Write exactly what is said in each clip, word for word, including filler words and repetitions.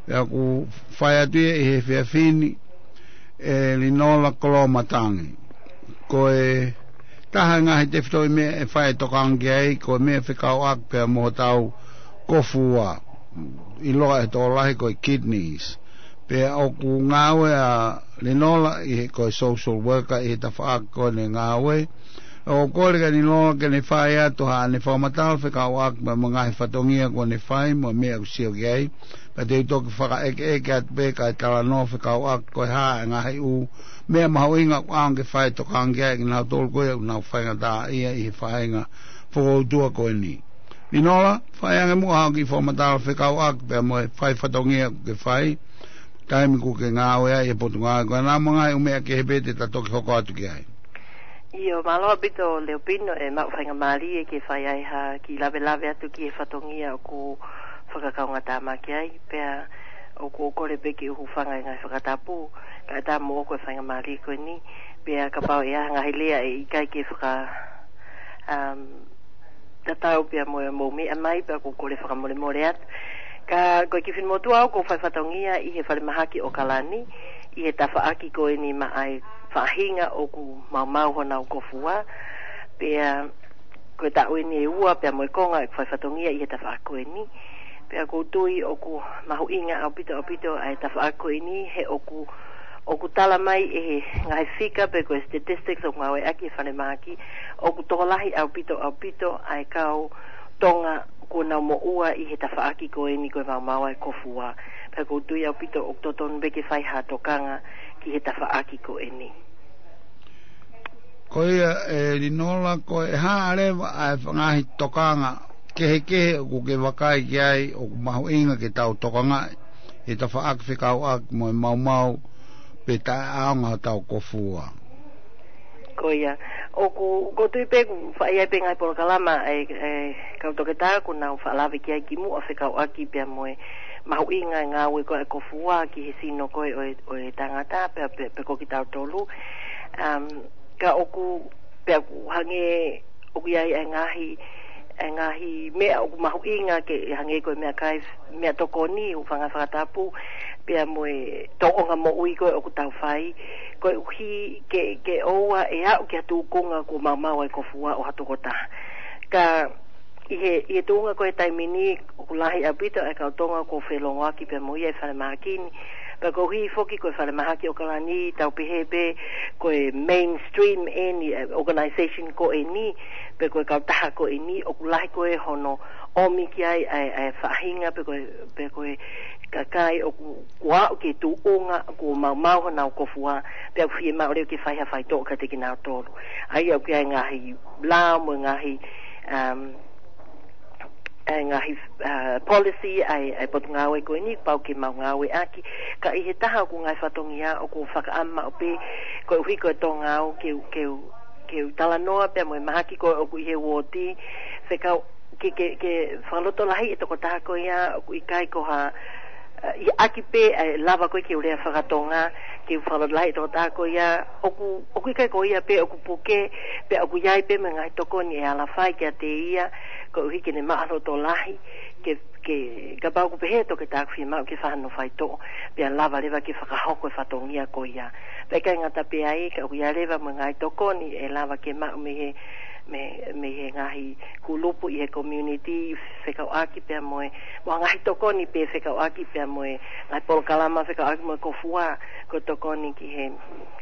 Pea ʻoku fai atu ia ʻi he efiafi ni ʻe Linola Koloamatangi. Ko e taha e ngaahi tefitoʻi meʻa ʻe fai e tokanga ki ai, ko e meʻa fekauʻaki pea mo hotau kofua, ʻiloa ʻe he tokolahi ko e kidneys. Pea ʻoku ngāue ʻa Linola ʻi he, ko e social worker ʻi he tafaʻaki ko eni ʻene ngāue. ʻOku ou kole kia Linola ke ne fai atu haʻane fakamatala fekauʻaki pea mo e ngaahi fatongia kuo ne fai mo e meʻa ʻoku sio ki ai. Pea te u toki fakaʻekeʻeke atu pē kae talanoa fekauʻaki ko e hā e ngaahi ʻū meʻa mahuʻinga ʻoku ʻaonga ke fai e tokanga ki ai ʻe kinautolu ko ia ʻoku nau faingataʻaʻia ʻi he faʻahinga fokoutua ko eni. Linola, fai ange muʻa haʻo kiʻi fakamatala fekauʻaki pea mo e fai fatongia ʻoku ke fai, taimi ʻoku ke ngāue ai ʻi he potungāue ko ena, mo e ngaahi ʻū meʻa kehe pē te ta toki hoko atu ki ai. ʻIo, mālō ʻaupito Leopino, ʻe maʻu faingamālie ke fai ai ha kiʻi lavelave atu ki he fatongia ʻoku fakakaungātāmaki ai, pea ʻoku ou kole pē ke u hūfanga he ngaahi fakatapu, kae ʻatā moʻoku e faingamālie ko eni, pea kapau ʻe ʻi ai ha ngaahi lea ʻe ʻikai ke faka, um, tatau pea mo e mou meʻa mai, pea ʻoku ou kole fakamolemole atu. Ka ko e kiʻi finemotuʻa au ʻoku ou fai fatongia ʻi he falemahaki ʻAokalani, ʻi he tafaʻaki ko eni maʻa e faʻahinga ʻoku maumau honau kofua, pea ko e taʻu eni ʻe ua pea mo e konga ʻeku fai fatongia ʻi he tafaʻaki ko eni. Pea ʻoku ou tui ʻoku mahuʻinga ʻaupito ʻaupito ʻa e tafaʻaki ko eni he ʻoku, ʻoku tala mai ʻe he ngaahi fika pe ko e statistics ʻoku ngāueʻaki he falemahaki, ʻoku tokolahi ʻaupito ʻaupito ʻa e kau Tonga kuo nau moʻua ʻi he tafaʻaki ko eni ko e maumau ʻa e kofua. Pea ʻoku ou tui ʻaupito ʻoku totonu pē ke fai ha tokanga ki he tafaʻaki ko eni. Ko ia ʻe Linola, ko e hā leva ʻa e ngaahi tokanga kehekehe ʻoku ke vakai ki ai ʻoku mahuʻinga ke tau tokangaʻi he tafaʻaki fekauʻaki mo e maumau pe taʻeʻaonga hotau kofua? Ko ia, ʻoku, ʻoku ou tui pē ʻoku fai ai pē ngaahi polokalama ʻa e, ʻa e kau toketā ʻoku nau faʻa lave ki ai kimuʻa fekauʻaki pea mo e mahuʻinga e ngāue ko ē ʻa e kofua ki he sino ko ē ʻo e, ʻo e tangata pea, pea, pea ko kitautolu. Um, ka ʻoku, pea ʻoku hangē ʻoku ʻi ai e ngaahi, e ngaahi meʻa ʻoku mahuʻinga ke hangē ko e meʻakai, meʻatokoni, hūfanga he fakatapu, pea mo e tōʻonga moʻui ko ē ʻoku tau fai, koeʻuhi ke, ke ʻoua ʻe aʻu ki ha tūkunga kuo maumau ʻa e kofua ʻo ha tokotaha. Ka ʻi he, ʻi he tuʻunga ko ē he taimi ni, ʻoku lahi ʻaupito ʻa e kau Tonga kuo felongoaki pea mo ia ʻi he falemahaki ni. Pea koeʻuhi foki ko e falemahaki ʻAokalani, tau pehē pē ko e mainstream eni, e organization ko eni, pe ko e kautaha ko eni, ʻoku lahi ko ē hono ʻomi ki ai ʻa e, ʻa e faʻahinga, pe ko e, pe ko e kakai ʻoku, kuo aʻu ki he tūkunga kuo maumau honau kofua, pea ʻoku fiemaʻu leva ke fai ha faitoʻo kiate kinautolu. ʻA ia ʻoku ʻi ai e ngaahi lao mo e ngaahi, um, e ngaahi, uh, policy ʻa e, ʻa e potungāue ko eni, pau ke mau ngāueʻaki. Ka ʻi he taha ʻoku ngaahi fatongia ʻoku fakaʻamu maʻu pē, koeʻuhi ko e Tonga au ke, ke, ke u talanoa pea mo e mahaki ko ē ʻoku ʻi he uooti, fekau ke, ke, ke fakalotolahi e tokotaha ko ia ʻoku ʻikai ko ha, uh, ʻi ʻaki pē ʻa e lava ko ē ke u lea fakatonga, ke u fakalotolahi e tokotaha ko ia ʻoku, ʻoku ʻikai ko ia pē ʻoku puke, pea ʻoku ʻi ai pē mo e ngaahi tokoni ʻe ala fai kiate ia, koeʻuhi ke ne maʻulotolahi, ke, ke, kapau ʻoku pehē e toketā ʻoku fiemaʻu ke fai hano faitoʻo, pea lava leva ke fakahoko e fatongia ko ia. Pea ʻikai ngata pē ai, ka ʻoku ʻi ai leva mo e ngaahi tokoni ʻe lava ke maʻu mei he, mei, mei he ngaahi kulupu ʻi he community fekauʻaki pea mo e, mo e ngaahi tokoni pē fekauʻaki pea mo e ngaahi polokalama fekauʻaki mo e kofua, ko e tokoni ki he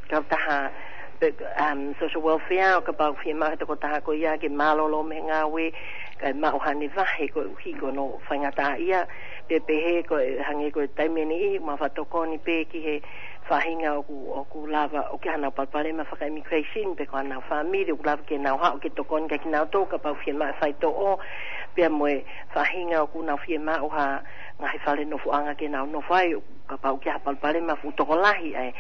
kautaha pe, um, social welfare, ʻo kapau ʻoku fiemaʻu he tokotaha ko ia ke mālōlō mei he ngāue, kae maʻu haʻane vahe koeʻuhi ko hono faingataʻaʻia, pe pehē ko e hangē ko e taimi ʻe niʻihi, mau faʻa tokoni pē ki he faʻahinga ʻoku, ʻoku lava, ʻoku ʻi ai haʻanau palopalema faka-immigration, pe ko haʻanau fāmili, ʻoku lava ke nau haʻu ke tokoni kiate kinautolu, kapau ʻoku fiemaʻu e faitoʻo, pea mo e faʻahinga ʻoku nau fiemaʻu ha ngaahi fale nofoʻanga ke nau nofo ai, kapau ʻoku ʻi ai ha palopalema fuʻu tokolahi ʻa e,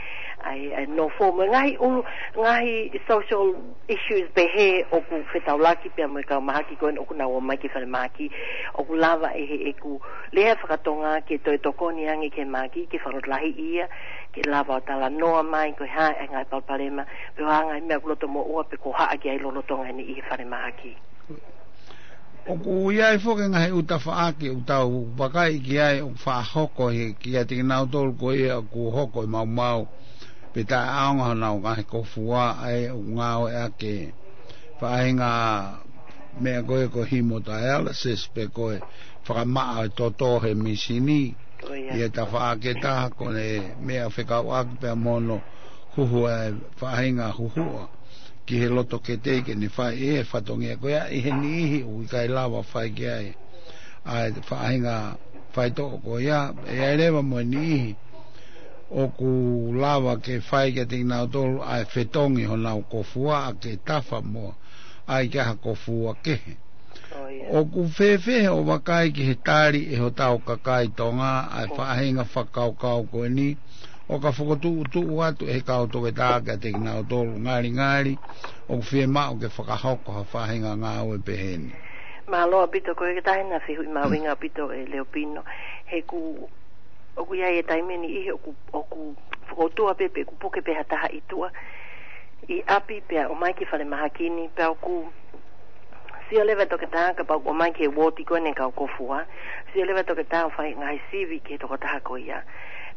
ʻa e, ʻa e nofo mo e ngaahi ʻulu, ngaahi social issues pehē ʻoku fetaulaki pea mo e kau mahaki ko eni ʻoku nau ō mai ki he falemahaki, ʻoku lava ʻe heʻeku lea fakatonga ke toe tokoni ange ki he mahaki, ke fakalotolahiʻi ia, ke lava ʻo talanoa mai ko e hā e ngaahi palopalema, pe ko e hā e ngaahi meʻa ʻoku loto moʻua pe ko e hā ke ʻi ai lolotonga eni ʻi he falemahaki. ʻOku ʻi ai foki e ngaahi ʻū tafaʻaki ʻoku tau vakai ki ai ʻoku faʻa hoko he kiate kinautolu ko ia ʻoku hoko e maumau pe taʻeʻaonga honau ngaahi kofua ʻa ē ʻoku ngāueʻaki e faʻahinga meʻa ko ē ko e hemodialysis pe ko e fakamaʻa e toto he mīsini. ʻI he tafaʻaki ʻe taha ko e meʻa fekauʻaki pea mo hono huhu e faʻahinga huhuʻa ki he loto kete ke ne fai e fatongia ko ia ʻi he niʻihi ʻoku ʻikai lava fai ki ai ʻa e faʻahinga faitoʻo ko ia. ʻE ʻi ai leva mo e niʻihi ʻoku lava ke fai kiate kinautolu ʻa e fetongi honau kofua ʻa ke tafa mo ʻai ki ha kofua kehe. ʻOku fēfē hoʻo vakai ki he tali ʻe hotau kakai Tonga ʻa e faʻahinga fakakaukau ko eni ʻo ka fokotuʻutuʻu atu ʻe he kau toketā kiate kinautolu ngalingali ʻoku fiemaʻu ke fakahoko ha faʻahinga ngāue pehē ni? Mālō ʻaupito, ko e taha e ngaahi fehuʻi mahuʻinga ʻaupito, ʻe Leopino. He ʻoku, ʻoku ʻi ai e taimi ʻe niʻihi ʻoku, ʻoku fokoutua pē pe ʻoku puke pē ha taha ʻi tuʻa ʻi ʻapi pea ʻomai ki falemahaki ni pea ʻoku sio leva e toketā kapau ʻoku ʻomai ki he uooti ko eni e kau kofua. Sio leva e toketā ʻo fai e ngaahi sivi ki he tokotaha ko ia.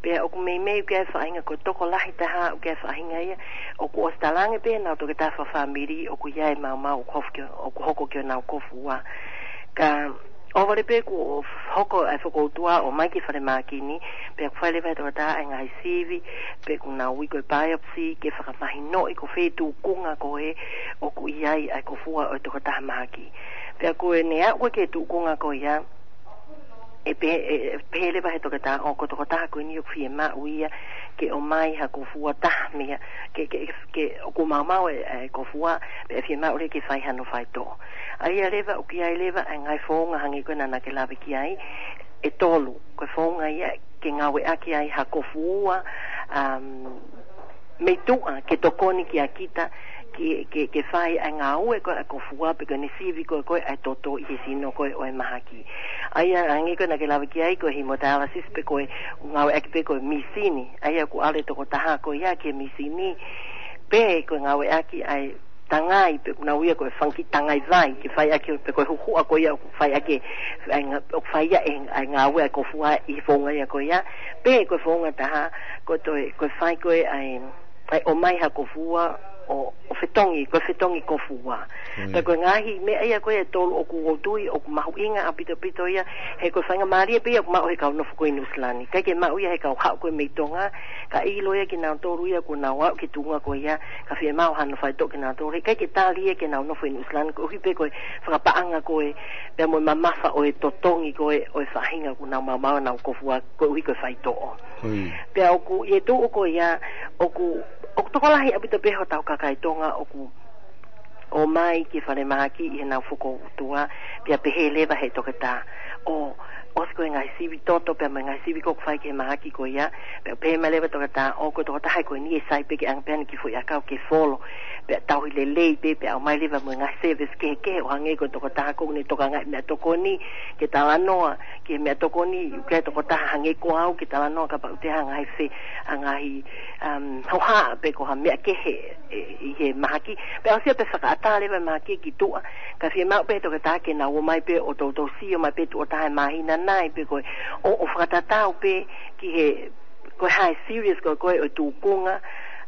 Pea ʻoku meimei ʻoku ʻi ai e faʻahinga ko e tokolahi taha ʻoku ʻi ai e faʻahinga ia ʻoku ʻosi talaange pē ʻe heʻenau toketā fakafāmili ʻoku ʻi ai e maumau ʻoku hoko ki, ʻoku hoko ki honau kofua. Ka ʻohovale pē kuo hoko ʻa e fokoutua ʻo ʻomai ki falemahaki ni, pea ʻoku fai leva ʻe he toketā ʻa e ngaahi sivi, pe ʻoku nau ui ko e biopsy, ke fakamahinoʻi ko fē tūkunga ko ē ʻoku ʻi ai ʻa e kofua ʻo e tokotaha mahaki. Pea ko ʻene aʻu ki he tūkunga ko ia, ʻe pehē, ʻe, ʻe pehē leva ʻe he toketā ʻoku, ko e tokotaha ko eni ʻoku fiemaʻu ia ke ʻomai ha kofua taha meia, ke, ke, ke ʻoku maumau e, e kofua, pea ʻe fiemaʻu leva ke fai hano faitoʻo. ʻA ia leva, ʻoku ʻi ai leva ʻa e ngaahi founga hangē ko ena naʻá ke lave ki ai, ʻe tolu, ko e founga ia ke ngāueʻaki ai ha kofua, um, mei tuʻa ke tokoni kia kita, ke, ke, ke fai ʻa e ngāue ko ē ʻa e kofua pe ko ʻene sivi ko ē ko ē ʻa e toto ʻi he sino ko ē ʻo e mahaki. ʻA ia, hangē ko ena naʻá ke lave ki ai, ko e hemodialysis pe ko e ngāueʻaki pē ko e mīsini. ʻA ia ʻoku ʻalu e tokotaha ko ia ki he mīsini, pe ko e ngāueʻaki ʻa e tangai, pe ʻoku nau ui ia ko e fanga kiʻi tangai vai, ke fai ʻaki pe ko e huhuʻa ko ia ʻoku fai ʻaki, ʻa e ngā-, ʻoku fai ia e, ʻa e ngāue ʻa e kofua ʻi he founga ia ko ia, pe ko e founga ʻe taha, ko e toe, ko e fai ko ē ʻa e, ʻa e ʻomai ha kofua ʻo, ʻo fetongi, ko e fetongi kofua. Pea ko e ngaahi meʻa ia ko ē ʻe tolu ʻoku ou tui ʻoku mahuʻinga ʻaupito ʻaupito ia, he ko e faingamālie pē ia ʻoku maʻu ʻe he kau nofo ko ē ʻi Nuʻusila ni. ʻIkai ke maʻu ia ʻe he kau haʻu ko ē mei Tonga, ka ʻilo ia kinautolu ia kuo nau aʻu ki he tuʻunga ko ia, ka fiemaʻu hano faitoʻo kinautolu. He ʻikai ke tali ia ke nau nofo ʻi Nuʻusila ni, koeʻuhi pē ko e fakapaʻanga ko ē, pea mo e mamafa ʻo e totongi ko ē ʻo e faʻahinga ʻoku nau maumau ai honau kofua, koeʻuhi ko e faitoʻo. Pea ʻoku ʻi he tuʻu ko ia, ʻoku, ʻoku tokolahi ʻaupito pē hotau kakai Tonga ʻoku ʻomai ki falemahaki ʻi heʻenau fokoutua, pea pehē leva ʻe he toketā, ʻo, ʻosi ko e ngaahi sivi toto, pea mo e ngaahi sivi ko ē ʻoku fai ki he mahaki ko ia, pea pehē mai leva e toketā, ʻo ko e tokotaha ko eni ʻe sai pē ke ʻange pē ʻene kiʻi foʻi ʻakau ke folo, pea tauhi lelei pē, pea ʻomai leva mo e ngaahi service kehekehe ʻo hangē ko e tokotaha ko ē ʻoku ne tokangaʻi meʻatokoni, ke talanoa ki he meʻatokoni, ʻoku ʻi ai e tokotaha hangē ko au ke talanoa kapau ʻe ʻi ai ha ngaahi fe-, ha ngaahi, um, hohaʻa pe ko ha meʻa kehe, ʻe, ʻi he mahaki. Pea ʻosi ia pea fakaʻatā leva e mahaki ki tuʻa, ka fiemaʻu pē ʻe he toketā ke nau ō mai pē ʻo toutou sio mai pē tuʻo taha he māhina nai pe ko e, ʻo, ʻo fakatatau pē ki he, ko e hā e serious ko ē ko ē ʻo e tūkunga,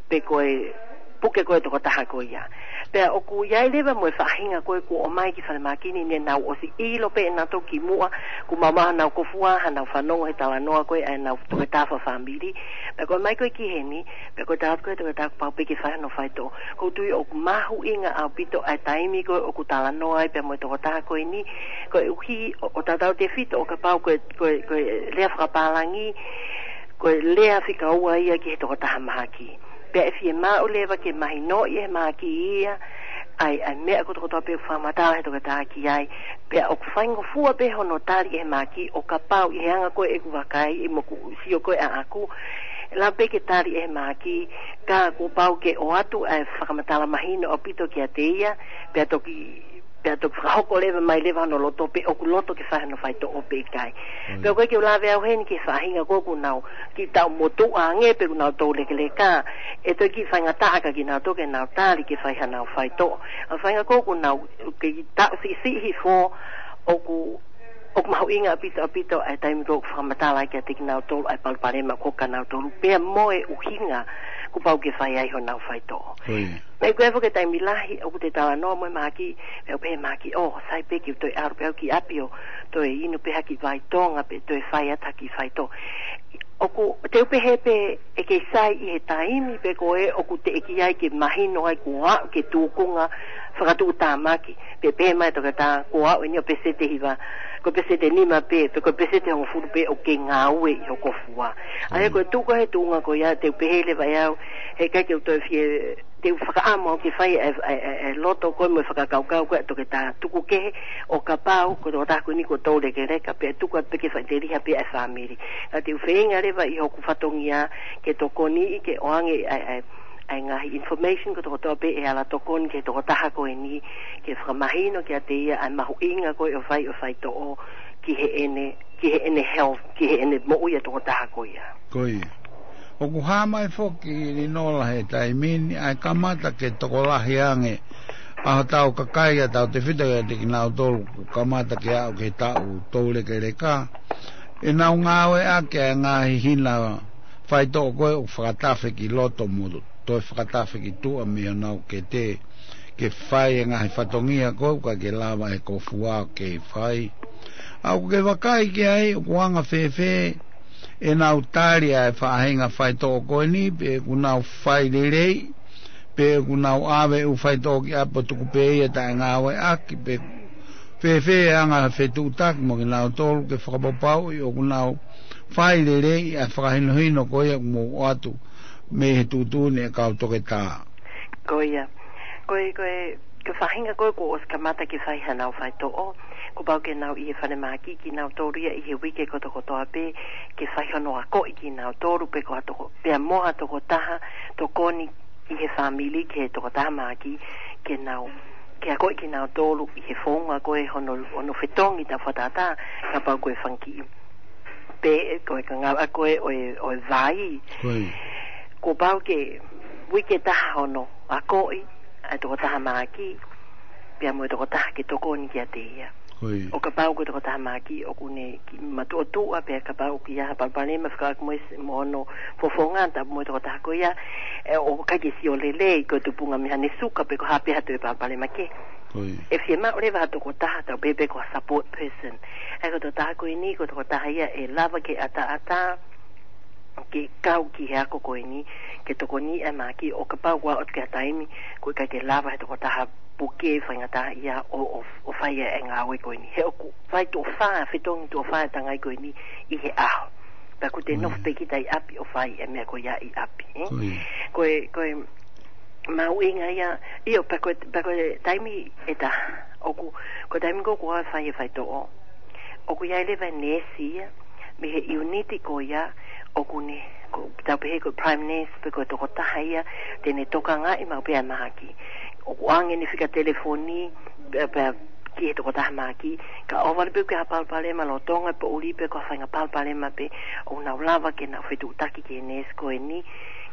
pe ko e puke ko ē e tokotaha ko ia. Pea ʻoku ʻi ai leva mo e faʻahinga ko ē kuo ō mai ki falemahaki ni, ne nau ʻosi ʻilo pē ʻe nautolu kimuʻa kuo maumau honau kofua, hanau fanongo he talanoa ko ē ʻa ʻenau toketā fakafāmili. Pea ko e ō mai ko ē ki heni, pea ko e tala atu ko ē ʻe he toketā kuo pau pē ke fai hano faitoʻo. ʻOku ou tui ʻoku mahuʻinga ʻaupito ʻa e taimi ko ē ʻoku talanoa ai pea mo e tokotaha ko eni, koeʻuhi ʻo, ʻo tautautefito ʻo kapau ko e, ko e, ko e lea fakapālangi, ko e lea fika ua ia ki he tokotaha mahaki. Pea ʻe fiemaʻu leva ke mahinoʻi ʻe he mahaki ia ʻa e, ʻa e meʻa kotokotoa pē ʻoku fakamatala ʻe he toketā ki ai. Pea ʻoku faingofua pē hono tali ʻe he mahaki ʻo kapau ʻi he anga ko ē ʻeku vakai, ʻi hoku sio ko ē ʻaʻaku, lava pē ke tali ʻe he mahaki, ka kuo pau ke ʻoatu ʻa e fakamatala mahino ʻaupito kiate ia, pea toki, pea toki fakahoko leva mai leva hono loto pe ʻoku loto ke fai hano faitoʻo pe ʻikai. Pea ʻoku ʻikai ke u lave au heni ki he faʻahinga ko ē ʻoku nau kiʻi taʻu motuʻa ange pe ʻoku nau toulekeleka, ʻe toe kiʻi faingataʻa kia kinautolu ke nau tali ke fai hanau faitoʻo. ʻA e faʻahinga ko ē ʻoku nau kiʻi taʻu siʻisiʻi hifo, ʻoku, ʻoku mahuʻinga ʻaupito, ʻaupito ʻa e taimi ko ē ʻoku fakamatala ai kiate kinautolu ʻa e palopalema ko ē ʻoku ʻiate kinautolu, pea mo e ʻuhinga kuo pau ke fai ai honau faitoʻo. Meʻa ko ē foki e taimi lahi ʻoku te talanoa mo e mahaki, pea ʻoku pehē e mahaki, ʻō, sai pē ke u toe ʻalu pē au ki ʻapi ʻo toe inu pē ha kiʻi vai Tonga, pe toe fai atu ha kiʻi faitoʻo. ʻOku, te u pehē pē ʻe kei sai ʻi he taimi pē ko ē ʻoku teʻeki ai ke mahino ai kuo aʻu ki he tūkunga fakatuʻutāmaki, pe pehē mai toketā kuo aʻu eni ʻo peseti ʻe hiva, ko e peseti ʻe nima pē, pe ko e peseti ʻe hongofulu pē ʻoku kei ngāue ʻi ho kofua. ʻA ia ko e tuʻu ko ē he tuʻunga ko ia, te u pehē leva ʻe au, heʻikai ke u toe fie, te u fakaʻamu au ke fai e, e, e, e loto ko ē mo e fakakaukau ko ē ʻa e toketā tuku kehe, ʻo kapau ko e tokotaha ko eni kuo toulekeleka, pea tuku atu pē ke faʻiteliha pē ʻa e fāmili. Ka te u feinga leva ʻi hoku fatongia ke tokoniʻi ke ʻoange ʻa e, ʻa e, ʻa e ngaahi information kotokotoa pē ʻe ala tokoni ki he tokotaha ko eni, ke fakamahino kiate ia ʻa e mahuʻinga ko ē ʻo fai, ʻo faitoʻo ki heʻene, ki heʻene health, ki heʻene moʻui ʻa e tokotaha ko ia. Ko ia. ʻOku hā mai foki, Linola, he taimi ni ʻa e kamata ke tokolahi ange ʻa hotau kakai, ʻa tautefito kiate kinautolu kuo kamata ke aʻu ki he taʻu toulekeleka, ʻenau ngāueʻaki ʻa e ngaahi hina faitoʻo ko ē ʻoku fakatafe ki loto mo toe fakatafe ki tuʻa mei honau kete, ke fai e ngaahi fatongia ko ē ʻoku ʻikai ke lava ʻe he kofua ke fai. ʻA ʻoku ke vakai ki ai, ʻoku anga fēfē ʻenau tali ʻa e faʻahinga faitoʻo ko eni, pe ʻoku nau fai lelei, pe ʻoku nau ʻave ʻū faitoʻo ki ʻapi ʻo tuku pē ia taʻengāueʻaki, pe fēfē e anga e fetuʻutaki mo kinautolu ke fakapapauʻi ʻoku nau fai lelei ʻa e fakahinohino ko ia ʻoku mou ʻoatu mei he tuʻutuʻuni ʻa e kau toketā. Ko ia. Ko e, ko e, ko e faʻahinga ko ē kuo ʻosi kamata ke fai hanau faitoʻo, kuo pau ke nau ʻi he falemahaki kinautolu ia ʻi he uike kotokotoa pē, ke fai hono akoʻi kinautolu, pe ko ha toko, pea mo ha tokotaha tokoni ʻi he fāmili ki he tokotaha mahaki, ke nau, ke akoʻi kinautolu ʻi he founga ko ē hono, hono fetongi taʻefakatātā, kapau ko e fanga kiʻi, pe ko e kangava ko ē ʻo e, ʻo e vai. Kuo pau ke, uike ʻe taha hono akoʻi ʻa e tokotaha mahaki, pea mo e tokotaha ke tokoni kiate ia. ʻO kapau ko e tokotaha mahaki ʻoku ne kiʻi matuʻotuʻa, pea kapau ʻoku ʻi ai ha palopalema fekauʻaki mo e s-, mo hono fofonga, tapu mo e tokotaha ko ia, ʻe, ʻoku ʻikai ke sio lelei, ko e tupunga mei haʻane suka pe ko e hā pē ha toe palopalema kehe. ʻE fiemaʻu leva ha tokotaha, tau pehē pē ko ha support person. ʻA ia ko e tokotaha ko eni, ko e tokotaha ia ʻe lava ke ʻataʻatā ke kau ki he ako ko eni, ke tokoniʻi ʻa e mahaki, ʻo kapau kuo aʻu ki ha taimi ʻoku ʻikai ke lava he tokotaha puke faingataʻaʻia ʻo, ʻo, ʻo fai ʻa e ngāue ko eni. He ʻoku fai tuʻo fā, fetongi tuʻo fā e tangai ko eni ʻi he ʻaho. Pea ʻoku te nofo pē kita ʻi ʻapi ʻo fai e meʻa ko ia ʻi ʻapi, ē? Ko e, ko e mahuʻinga ia, ʻio, pea ko e, pea ko e taimi ʻe taha, ʻoku, ko e taimi ko ē ʻoku fai e faitoʻo, ʻoku ʻi ai leva e neesi ia, mei he ʻiuniti ko ia, ʻoku ne, ko, tau pehē ko e prime nurse, pe ko e tokotaha ia te ne tokangaʻi maʻu pē ʻa e mahaki. ʻOku ʻoange ʻene fika telefoni, pea, pea ki he tokotaha mahaki, kae ʻoua leva pē ke ʻi ai ha palopalema lolotonga e poʻuli pe ko ha faʻahinga palopalema pē, ʻoku nau lava ke nau fetuʻutaki ki he neesi ko eni,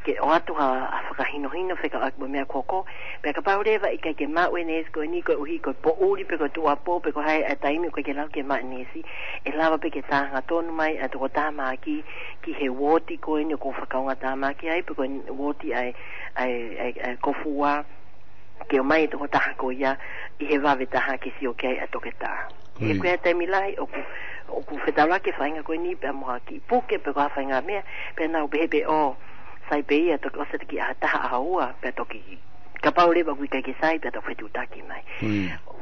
ke ʻoatu ha, ha fakahinohino fekauʻaki mo e meʻa ko ē. Pea kapau leva ʻe ʻikai ke maʻu e neesi ko eni koeʻuhi ko e poʻuli pe ko e tuʻuapō pe ko e hā e taimi ʻoku ʻikai ke lava ke maʻu e neesi, ʻe lava pē ke tā hangatonu mai ʻa e tokotaha mahaki ki he uooti ko eni ʻoku fakaongotāmaki ai, pe ko e uooti ʻa e, ʻa e, ʻa e, ʻa e kofua, ke ʻomai e tokotaha ko ia ʻi he vave taha ke sio ki ai ʻa e toketā. He ko e taimi lahi ʻoku, ʻoku fetaulaki e faʻahinga ko eni pea mo ha kiʻi puke pe ko ha faʻahinga meʻa, pea nau pehē pē ʻo, sai pē ia, toki ʻosi atu ki he ʻaho taha, ʻaho ua, pea toki, kapau leva ʻoku ʻikai ke sai, pea toki fetuʻutaki mai.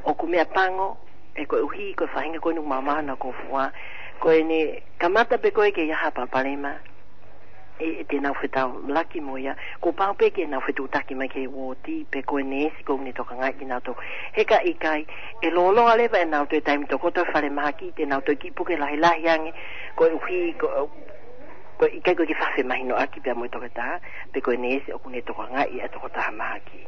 ʻOku meʻapango, ʻe koeʻuhi ko e faʻahinga ko eni ʻoku maumau honau kofua, ko ʻene kamata pē ko ē ke ʻi ai ha palopalema, ʻe, ʻe te nau fetaulaki mo ia, kuo pau pē ke nau fetuʻutaki mai ki he uooti, pe ko e neesi ʻoku ne tokangaʻi kinautolu. He ka ʻikai, ʻe lōloa leva ʻenau toe taimi tokoto he falemahaki, te nau toe kiʻi puke lahilahi ange, koeʻuhi, ko, ko e ʻikai ko e kiʻi faʻa femahinoʻaki pea mo e toketā, pe ko e neesi ʻoku ne tokangaʻi ʻa e tokotaha mahaki.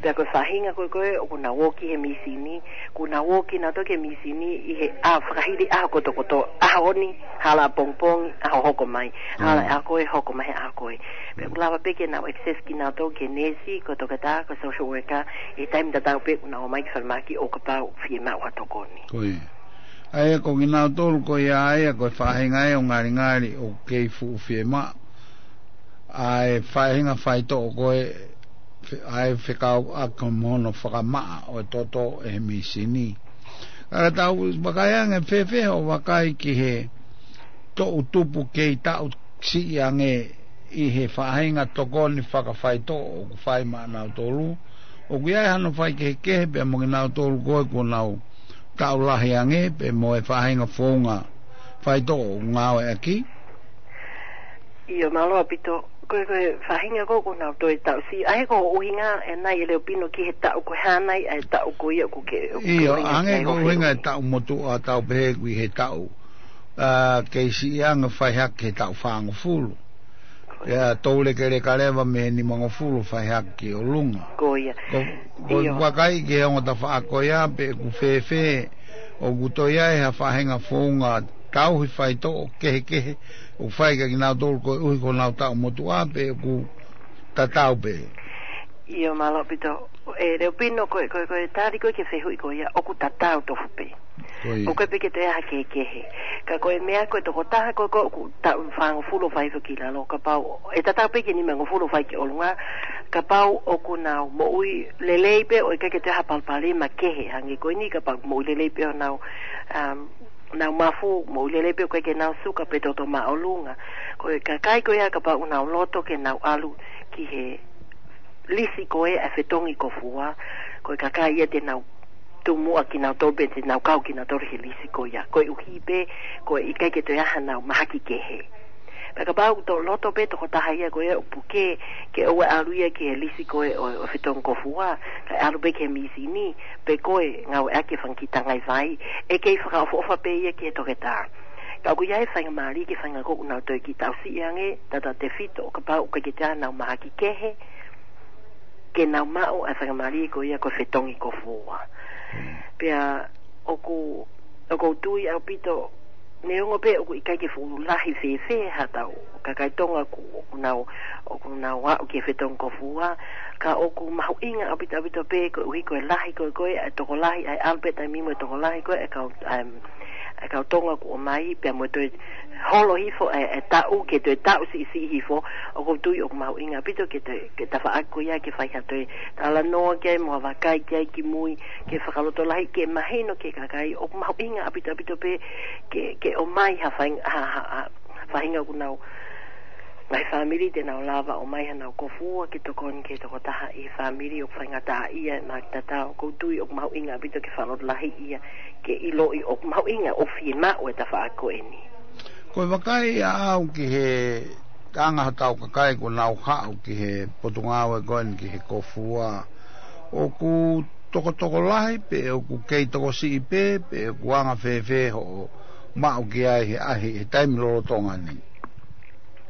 Pea ko e faʻahinga ko ē ko ē, ʻoku nau ō ki he mīsini, ʻoku nau ō kinautolu ki he mīsini ʻi he ʻaho fakahili ʻaho kotokotoa, ʻaho ni, hala ʻapongipongi, ʻaho hoko mai, hala ʻaho ko ē, hoko mai he ʻaho ko ē. Pea ʻoku lava pē ke nau access kinautolu ki he neesi, ko e toketā, ko e social worker, ʻi he taimi tatau pē ʻoku nau ō mai ki falemahaki ʻo kapau fiemaʻu ha tokoni. ʻA ia ko kinautolu ko ia ʻa ia ko e faʻahinga ʻo e ngalingali ʻoku kei fuʻu fiemaʻu ʻa e faʻahinga faitoʻo ko ē, ʻa e fekauʻaki mo hono fakamaʻa ʻo e toto ʻe he mīsini. Ka tau vakai ange fēfē hoʻo vakai ki he toʻu tupu kei taʻu siʻi ange ʻi he faʻahinga tokoni fakafaitoʻo ʻoku fai maʻanautolu. ʻOku ʻi ai hano faikehekehe pea mo kinautolu ko ē kuo nau taʻu lahi ange pea mo e faʻahinga founga faitoʻo ʻoku ngāueʻaki. ʻIo, mālō ʻaupito. Ko e, ko e faʻahinga ko ē kuo nau toe taʻu siʻi. ʻA ia ko e ʻuhinga ʻe nai ʻe Leopino ki he taʻu ko e hā nai ʻa e taʻu ko ia ʻoku ke, ʻoku ke ʻIo, ʻuhinga ange ki ai ko e ʻuhinga ʻi he taʻu motuʻa tau pehē ʻoku ʻi he taʻu, ʻa, kei siʻi ange fai hake he taʻu fāngofulu. ʻIa, tau lekeleka leva mei he nimangofulu fai hake ki ʻolunga. Ko ia. Ko, ko ʻIo. Vakai ki he ongo tafaʻaki ko ia pe ʻoku fēfē, ʻoku toe ʻi ai ha faʻahinga founga tauhi faitoʻo kehekehe ʻoku fai kia kinautolu koeʻuhi ko honau taʻu motuʻa pe ʻoku tatau pē. ʻIo, mālō ʻaupito. ʻE Leopino ko e, ko e, ko e tali ko ē ki he fehuʻi ko ia ʻoku tatau tofu pē. Ko ia. ʻOku ʻikai pē ke toe ʻi ai ha kehekehe. Ka ko e meʻa ko e tokotaha ko ē ʻoku taʻu fāngofulu ʻo fai hifo ki lalo, kapau ʻe tatau pē ki he nimangofulu ʻo fai ki ʻolunga, kapau ʻoku nau moʻui lelei pē ʻo ʻikai ke toe ʻi ai ha palopalema kehe hangē ko eni, kapau moʻui lelei pē honau, um, nau mafu, moʻui lelei pē ʻo ʻikai ke nau suka pe toto māʻolunga. Ko e kakai ko ia kapau ʻoku nau loto ke nau ʻalu ki he lisi ko ē ʻa e fetongi kofua, ko e kakai ia te nau tumuʻa kinautolu pe te nau kau kinautolu he lisi ko ia. Koeʻuhi pē, ko e ʻikai ke toe ʻi ai hanau mahaki kehe. Pea kapau ʻoku toe loto pē tokotaha ia ko ia ʻo puke, ke ʻoua ʻe ʻalu ia ki he lisi ko ē ʻo, ʻo fetongi kofua, kae ʻalu pē ki he mīsini, pe ko e ngāueʻaki e fanga kiʻi tangai vai, ʻe kei fakaʻofoʻofa pē ia ki he toketā. Ka ʻoku ʻi ai e faingamālie ki he faʻahinga ko ē ʻoku nau toe kiʻi taʻu siʻi ange, tautautefito ʻo kapau ʻoku ʻikai ke toe ʻi ai hanau mahaki kehe, ke nau maʻu ʻa e faingamālie ko ia ko e fetongi kofua. Mm. Pea ʻoku, ʻoku ou tui ʻaupito, neongo pē ʻoku ʻikai ke fuʻu lahi fēfē haʻatau kakai Tonga ʻoku, ʻoku nau, ʻoku nau aʻu ki he fetongi kofua, ka ʻoku mahuʻinga ʻaupito ʻaupito pē koeʻuhi ko e lahi ko ē, ko ē ʻa e tokolahi, ʻa e ʻalu pē taimi mo e tokolahi ko ē ʻa e kau, um, ʻa e kau Tonga kuo ʻomai, pea mo e toe holo hifo e, e taʻu, ke toe taʻu siʻisiʻi hifo, ʻoku ou tui ʻoku mahuʻinga ʻaupito ke toe, ke tafaʻaki ko ia ke fai ha toe talanoa ki ai, mo ha vakai ki ai kimui, ke fakalotolahi, ke mahino ki he kakai, ʻoku mahuʻinga ʻaupito ʻaupito pē, ke, ke ʻomai ha faing-, ha, ha, ha, faʻahinga ʻoku nau, ngaahi fāmili te nau lava ʻo ʻomai hanau kofua ke tokoni ki he tokotaha ʻi he fāmili ʻoku faingataʻaʻia, mahaki tatau, ʻoku ou tui ʻoku mahuʻinga ʻaupito ke fakalotolahi ia, ke ʻiloʻi ʻoku mahuʻinga ʻo fiemaʻu e tafaʻaki ko eni. Ko e vakai ʻaʻau ki he anga hotau kakai kuo nau haʻu ki he potungāue ko eni ki he kofua, ʻoku tokotokolahi pe ʻoku kei tokosiʻi pē, pe ʻoku anga fēfē hoʻo maʻu ki ai he ʻahi he taimi lolotonga ni?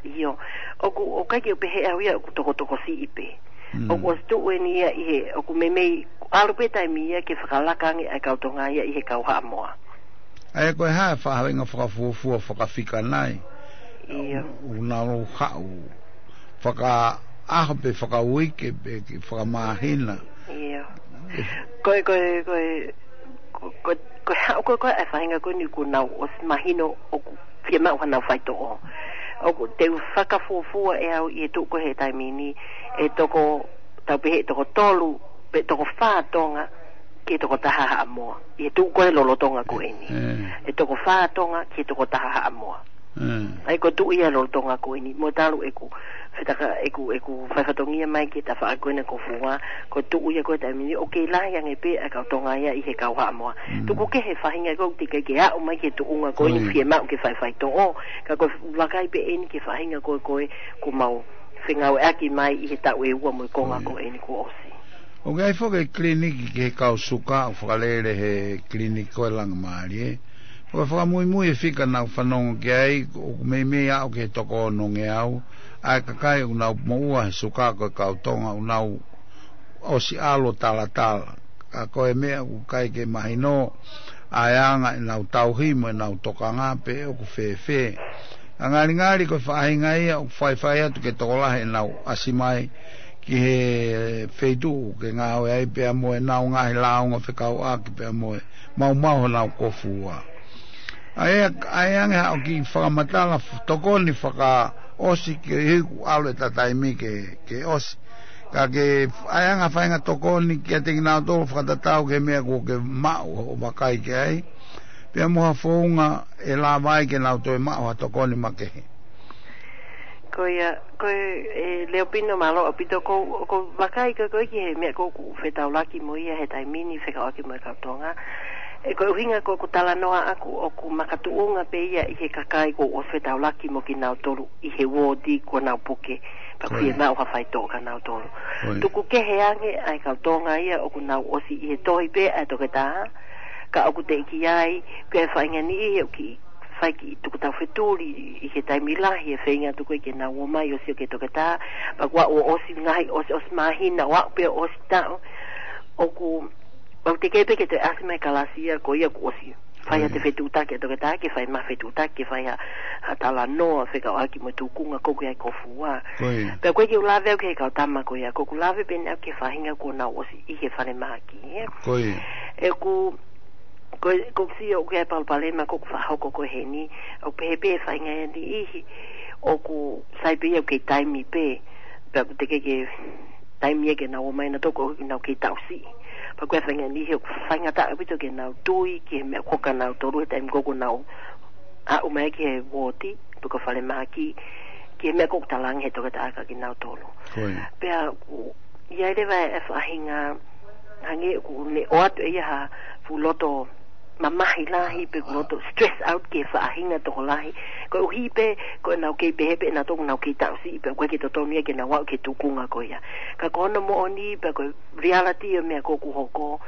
ʻIo, ʻoku, ʻoku ʻikai ke u pehē au ia ʻoku tokotokosiʻi pē. Mm. ʻOku ʻosi tuʻu eni ia ʻi he, ʻoku meimei ʻalu pē taimi ia ke fakalaka ange ʻa e kau Tonga ia ʻi he kau Haʻamoa. ʻA ia ko e hā e faʻahinga fakafuofua fakafika nai? ʻIo. ʻOku nau haʻu fakaʻaho pe fakauike pe ke fakamāhina? ʻIo. Ko e, ko e, ko e, ko, ko, ko e haʻu ko ē ko ē ʻa e faʻahinga ko eni kuo nau ʻosi mahino ʻoku fiemaʻu hanau faitoʻo. ʻOku te u fakafuofua ʻe au ʻi he tuʻu ko ē he taimi ni, ʻe toko, tau pehē ʻe toko tolu, pe toko fā Tonga, ki he toko taha Haʻamoa. ʻI he tuʻu ko ē lolotonga ko eni. Mm. ʻE toko fā Tonga, ki he toko taha Haʻamoa. Mm. ʻA ia ko e tuʻu ia lolotonga ko eni, mo talu ʻeku, fetaka ʻeku, ʻeku fai fatongia mai ki he tafaʻaki ko ena kofua, ko e tuʻu ia ko ē taimi ni, ʻoku kei lahi ange pē ʻa e kau Tonga ia ʻi he kau Haʻamoa. Mm. Tuku kehe faʻahinga ko ē teʻeki ke aʻu mai ki he tuʻunga ko eni. Oi. Fiemaʻu ke fai faitoʻo, ka ko e vakai pē eni ki he faʻahinga ko ē ko ē kuo mau fengāueʻaki mai ʻi he taʻu ʻe ua mo e konga. Oi. Ko eni kuo ʻosi. ʻOku ʻi ai foki e kiliniki ki he kau suka ʻoku fakalele he kiliniki ko e Langamālie. Ko e fakamuimui e fika naʻa ku fanongo ki ai, ʻoku meimei aʻu ki he toko onongeau ʻa e kakai ʻoku nau moʻua he suka ko e kau Tonga ʻoku nau ʻosi ʻalu ʻo talatala. Ka ko e meʻa ʻoku ʻikai ke mahino ʻa e anga ʻenau tauhi mo ʻenau tokanga pe ʻoku fēfē. ʻA e ngalingali ko e faʻahinga ia ʻoku faifai atu ke tokolahi ʻenau ʻasi mai ki he feituʻu ke ngāue ai pea mo ʻenau ngaahi lāunga fekauʻaki pea mo e maumau honau kofua. ʻA ia, ʻa ia ange haʻo kiʻi fakamatala f-, tokoni fakaʻosi ke hiku ʻalu e tataimi ke, ke ʻosi. Ka ke ʻa ia ange ha faʻahinga tokoni kiate kinautolu fakatatau ki he meʻa kuo ke maʻu ʻo vakai ki ai. Pea mo ha founga ʻe lava ai ke nau toe maʻu ha tokoni makehe. Ko ia, ko e, e, Leopino, mālō ʻaupito. ʻOku ou, ʻoku ou vakai ko ē, ko ē ki he meʻa ʻoku ou fetaulaki mo ia he taimi ni fekauʻaki mo e kau Tonga. ʻE, ko e ʻuhinga ko ʻeku talanoa ʻaku ʻoku makatuʻunga pē ia ʻi he kakai ʻoku ou fetaulaki mo kinautolu ʻi he uooti kuo nau puke. Pea ʻoku fiemaʻu ha faitoʻo kia nautolu. Tuku kehe ange ʻa e kau Tonga ia ʻoku nau ʻosi ʻi he tohi pē ʻa e toketā. Ka ʻoku teʻeki ai, ko e faʻahinga niʻihi ʻoku kiʻi fai kiʻi tuku tau fetuli ʻi he taimi lahi ʻe feinga atu ko ē ke nau ō mai ʻo sio ki he toketā. Pea kuo ʻosi ngaahi, ʻosi, ʻosi māhina, ʻo aʻu pē ʻosi taʻu. ʻOku, ʻoku teʻeki pē ke toe ʻasi mai kalasi ia ko ia kuo ʻosi fai ʻa e fetuʻutaki ʻa e toketā, ke fai mai fetuʻutaki, ke fai ha, ha talanoa fekauʻaki mo e tūkunga ʻoku ʻi ai e kōfuá. Pea ko ē ke u lave au ki he kau tama ko ia, ʻoku ou lave pē ʻaʻaku ki he faʻahinga kuo nau ʻosi ʻi he falemahaki, ē. ʻE, ʻoku, ko, ʻoku ou sio ʻoku ʻi ai e palopalema ʻoku fakahoko ko ē heni, ʻoku pehē pē faʻahinga ʻe niʻihi ʻoku sai pē ia ʻoku kei taimi pē, pea ʻoku teʻeki ke taimi ia ke nau ō mai nautolu ʻoku nau kei taʻu siʻi. Pea ko e faʻahinga niʻihi ʻoku faingataʻa ʻaupito ke nau tui ki he meʻa ʻoku hoko kia nautolu he taimi ko ē ʻoku nau aʻu mai ki he uooti, pe ko e falemahaki, ki he meʻa ʻoku talaange he toketā kia kinautolu. Pea ʻoku ʻi ai leva e faʻahinga, hangē ʻoku ne ʻoatu ʻe ia ha fuʻu loto mamahi lahi pe ʻoku loto stress out ki he faʻahinga tokolahi. Koeʻuhi pē ko ʻenau kei pehē pē nautolu ʻoku nau kei taʻu siʻi pea ʻoku ʻikai ke totonu ia ke nau aʻu ki he tūkunga ko ia. Ka ko hono moʻoni pea ko e reality ʻo e meʻa ʻoku hoko,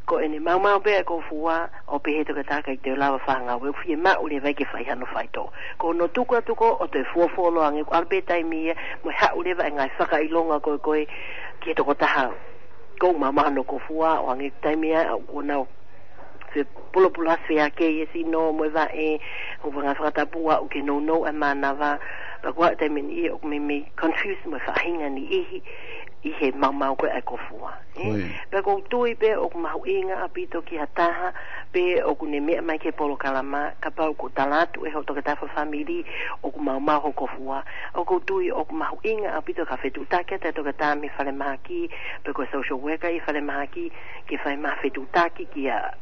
ko ʻene maumau pē ʻa e kōfuá, ʻo pehē ʻe he toketā ʻikai te u lava ʻo fai ha ngāue, ʻoku fiemaʻu leva ia ke fai hano faitoʻo. Ko hono tuku atu ko ē ʻo toe fuofuoloa ange, ʻoku ʻalu pē taimi ia mo e haʻu leva e ngaahi fakaʻilonga ko ē ko ē ki he tokotaha ʻoku maumau hono kōfuá, ʻo hangē ko e taimi ia ʻoku nau fepulopula, feʻakeʻi e sino mo e vaʻe, ʻoku fanga fakatapu ʻoku kei nounou e mānava, pea ko e taimi ni ʻoku meimei confuse mo e faʻahinga niʻihi ʻi he maumau ko ē ʻa e kōfuá. Pea ʻoku ou tui pē ʻoku mahuʻinga ʻaupito ki ha taha pē ʻoku ne meʻa mai ki he polokalama, kapau ʻoku tala atu ʻe hoʻo toketā fakafāmili ʻoku maumau hoʻo kōfuá, ʻoku ou tui ʻoku mahuʻinga ʻaupito ke fetuʻutaki atu e toketā mei he falemahaki, pe ko e social worker ʻi he falemahaki, ke fai mai ha fetuʻutaki ki ha,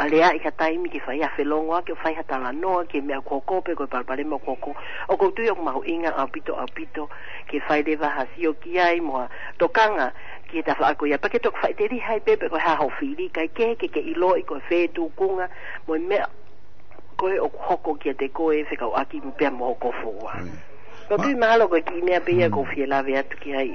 aleaʻi ha taimi ke fai ha felōngoaki ʻo fai ha talanoa ki he meʻa ʻoku hoko pe ko e palopalema ʻoku hoko. ʻOku ou tui ʻoku mahuʻinga ʻaupito, ʻaupito ke fai leva ha sio ki ai mo ha tokanga ki he tafaʻaki ko ia. Pea ke toki faʻiteliha ai pē pe ko e hā hoʻo fili, kae kehe ke ke ʻiloʻi ko e fē tūkunga mo e meʻa ko ē ʻoku hoko kiate koe fekauʻaki pea mo hoʻo kōfuá. ʻOku ou tui mahalo ko e kiʻi meʻa pē ia ʻoku ou fie lave atu ki ai.